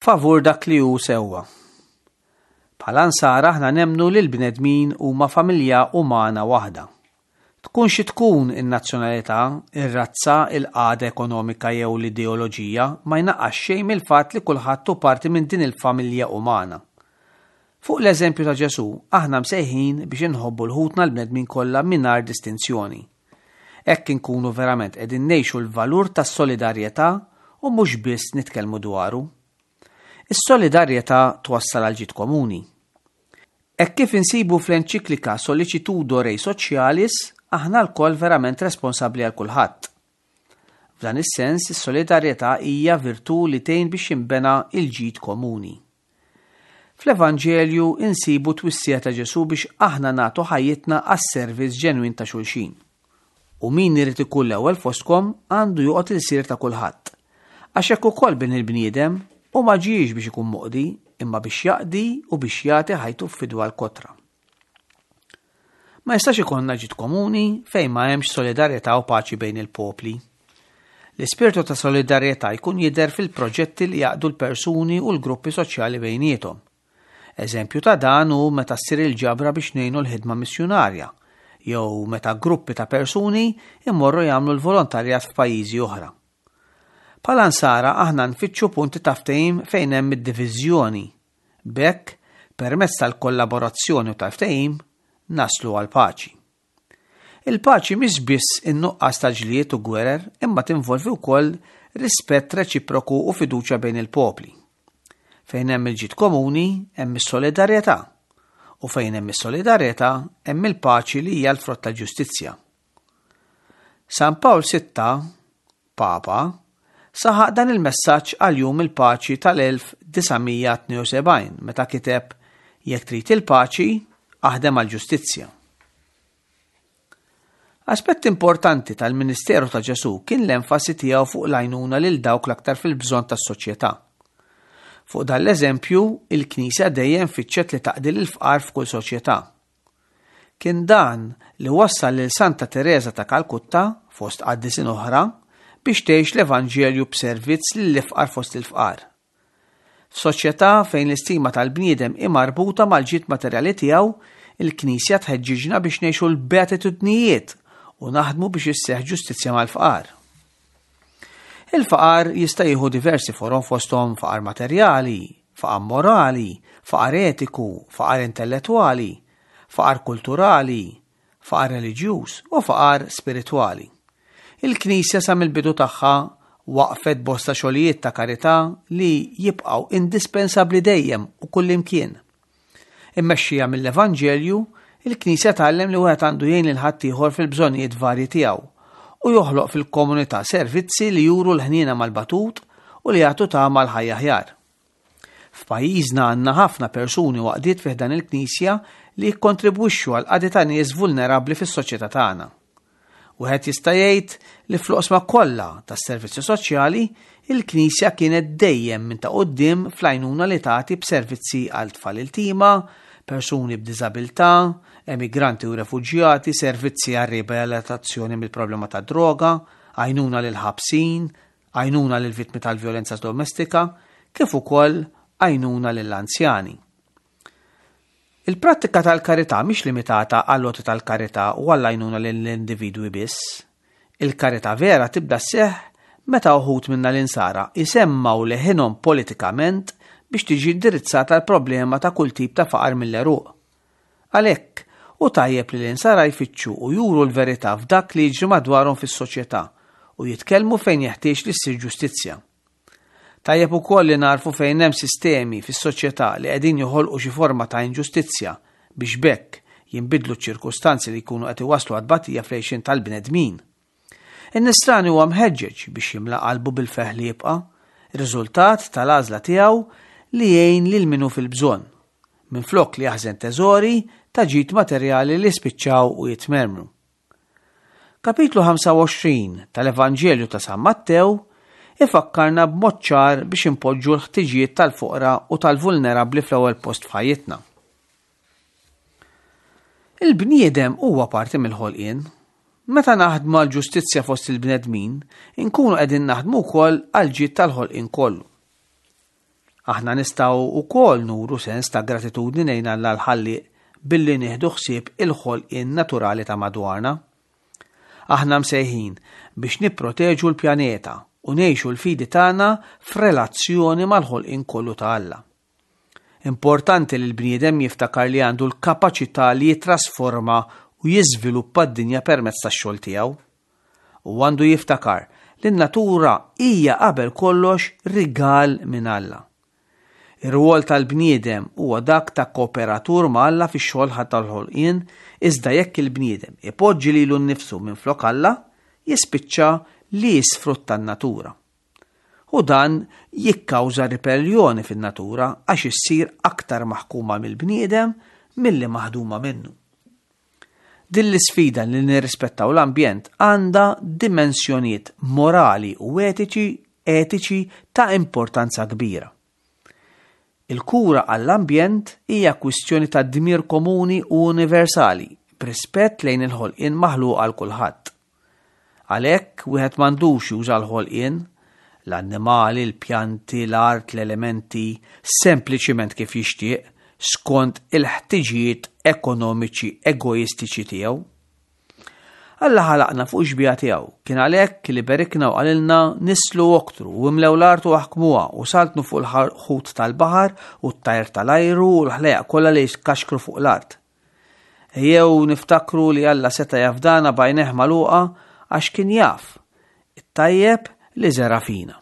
Favur dak li hu sewwa. Bħala Nsara aħna nemmnu li l-bnedmin huma familja umana waħda. Tkun xi tkun in-nazzjonalità, ir-razza, il-qagħda ekonomika jew l-ideoloġija ma jnaqqas xejn mill-fatt li kulħadd hu parti minn din il-familja umana. Fuq l-eżempju ta' Ġesù, aħna msejħin biex inħobbu 'l ħutna l-bnedmin kollha mingħajr distinzjoni. Hekk inkunu verament qegħdin ngħixu l-valur tas-solidarjetà u mhux biss nitkellmu dwaru. Is-solidarjetà twassal għal ġid komuni. Hekk kif insibu fl-enċiklika Sollicitudo Rei Socialis, aħna lkoll verament responsabbli għal kulħadd. F'dan is-sens, is-solidarjetà hija virtù li tgħin biex jinbena l-ġid komuni. Fl-Evanġelju insibu t-twissija ta' Ġesù biex aħna nagħtu ħajjitna għas-servizz ġenwin ta' xulxin. U min irid ikun l-ewwel fostkom għandu joqgħod ilsir ta' kulħadd. Għax hekk ukoll Bin il-bniedem, hu ma ġiex biex ikun moqdi, imma biex jaqdi u biex jagħti ħajtu f'fidwa għall-kotra. Ma jistax ikollna ġid komuni fejn ma hemmx solidarjetà u paċi bejn il-popli. L-ispirtu ta' solidarjetà jkun jidher fil-proġetti li jgħaqqdu l-persuni u l-gruppi soċjali bejniethom. Eżempju ta' dan hu meta ssir il-ġabra biex ngħinu l-ħidma missjunarja, jew meta gruppi ta' persuni jmorru jagħmlu l-volontarjat f'pajjiżi oħra. Bħala Nsara aħna nfittxu punti ta' ftehim fejn hemm id-diviżjoni B'hekk, permezz tal-kollaborazzjoni u tal-ftehim, naslu għall-paċi. Il-paċi mhix biss in-nuqqas ta' ġlied u gwerer imma tinvolvi wkoll rispett reċiproku u fiduċja bejn il-popli. Fejn hemm il-ġid komuni, hemm is-solidarjetà. U fejn hemm is-solidarjetà, hemm il-paċi li hija l-frott tal-ġustizzja. San Pawl Sitta Papa, saħaq dan il-messaġġ għal Jum il-Paċi tal-1972 meta kiteb Jekk trid il-paċi, aħdem għall-ġustizzja. Aspett importanti tal-ministeru ta' Ġesù kien l-enfasi tiegħu fuq l-għajnuna lil dawk l-aktar fil-bżonn tas-soċjetà. Fuq dan l-eżempju, il-Knisja dejjem fittxet li taqdi lill-fqar f'kull soċjetà. Kien dan li wassal lil Santa Tereża ta' Kalkutta, fost qaddisin oħra, biex tgħix l-Evanġelju b'servizz lill-ifqar fost il-fqar. F'soċjetà fejn l-istima tal-bniedem hi marbuta mal-ġid materjali tiegħu, il-Knisja tħeġġiġna biex ngħixu l-beatitudnijiet u naħdmu biex isseħħ ġustizzja mal-fqar. Il-faqar jista' jieħu diversi forom fosthom faqar materjali, faqar morali, faqar etiku, faqar intellettwali, faqar kulturali, faqar reliġjuż u faqar spiritwali. Il-Knisja sa mill-bidu tagħha waqqfet bosta xogħlijiet ta' karità li jibqgħu indispensabbli dejjem u kullimkien. Immexxija mill-Evanġelju, il-Knisja tgħallem li wieħed għandu jgħin lil ħaddieħor fil-bżonnijiet varji tiegħu u joħloq fil-komunità servizzi li juru l-ħniena mal-batut u li jagħtu tama għal ħajja aħjar. F'pajjiżna għandna ħafna persuni u għaqdiet fi ħdan il-Knisja li jikkontribwixxu għall-qadi ta' nies vulnerabbli fis-soċjetà tagħna. Wieħed jista' jgħid li fl-oqsma kollha tas-servizzi soċjali, il-Knisja kienet dejjem minn ta' quddiem fl-għajnuna li tagħti b'servizzi għal tfal iltima, persuni b'diżabilità, emigranti u refuġjati, servizzi għar-riabilitazzjoni mill-problema tad-droga, għajnuna lill-ħabsin, għajnuna lill-vittmi tal-vjolenza domestika, kif ukoll għajnuna lill-anzjani. Il-prattika tal-karità mhix limitata għall-għoti tal-karità u għall-għajnuna lill-individwi biss. Il-karità vera tibda sseħħ meta uħud minna l-Insara jsemmgħu leħinhom politikament biex tiġi indirizzata l-problema ta' kull tip ta' faqar mill-għeruq. Għalhekk, hu tajjeb li l-Insara jfittxu u juru l-verità f'dak li jiġri madwarhom fis-soċjetà u jitkellmu fejn jeħtieġ li ssir ġustizzja. Tajjeb ukoll li nagħrfu fejn hemm sistemi fis-soċjetà li qegħdin joħolqu xi forma ta' inġustizzja biex b'hekk jinbidlu ċ-ċirkustanzi li jkunu qed iwasslu għat-tbatija fl-għixien tal-bnedmin. In-Nisrani huwa mħeġġeġ biex jimla qalbu bil-ferħ li jibqa', riżultat tal-għażla tiegħu li jgħin lil min hu fil-bżonn, minflok li jaħżen teżori ta' ġid materjali li jispiċċaw u jitmermru. Kapitlu 25 tal-Evanġelju ta' San Mattew ifakkarna b'mod ċar biex inpoġġu l-ħtiġijiet tal-foqra u tal-vulnerabbli fl-ewwel post f'ħajjitna. Il-bniedem huwa parti mill-ħolqien. Meta naħdmu għall-ġustizzja fost il-bnedmin, inkunu qegħdin naħdmu wkoll għall-ġid tal-ħolqien kollu. Aħna nistgħu wkoll nuru sens ta' gratitudni lejn Alla l-Ħallieq billi nieħdu ħsieb il-ħolqien naturali ta' madwarna. Aħna msejħin biex nipproteġu l-pjaneta u ngħixu l-fidi tagħna f'relazzjoni mal-ħolqien kollu ta' Alla. Importanti li l-bniedem jiftakar li għandu l-kapaċità li jittrasforma u jiżviluppa d-dinja permezz tax-xogħol tiegħu. U għandu jiftakar li n-natura hija qabel kollox rigal minn Alla. Ir-rwol tal-bniedem huwa dak ta' kooperatur ma' Alla fix-xogħol tal-ħolqien, iżda jekk il-bniedem ipoġġi lilu nnifsu minflok Alla, jispiċċa li jisfrutta n-natura. U dan jikkawża ribelljoni fin-natura għax issir aktar maħkuma mill-bniedem milli maħduma minnu. Din l-isfida li nirrispettaw l-ambjent għandha dimensjonijiet morali u etiċi etiċi ta' importanza kbira. Il-kura għall-ambjent hija kwistjoni ta' dmir komuni u universali b'rispett lejn il-ħolqien maħluq għal kulħadd. Għalhekk wieħed m'għandux juża l-ħolqien, l-annimali, l-pjanti, l-art, l-elementi, sempliċiment kif jixtieq, skont il-ħtiġijiet ekonomiċi egoistiċi tiegħu. Alla ħalaqna fuq xbieha tiegħu, kien għalhekk li berikna u qalilna nislu oktru u imlew l-art u aħkmuha u saltnu fuq il-ħut tal-baħar u t-tajr tal-ajru u l-ħlejaq kollha li jkaxkru fuq l-art. Ejjew niftakru li Alla seta' jafdana b'għajnejh magħluqa għax kien jaf it-tajjeb li żera' fina.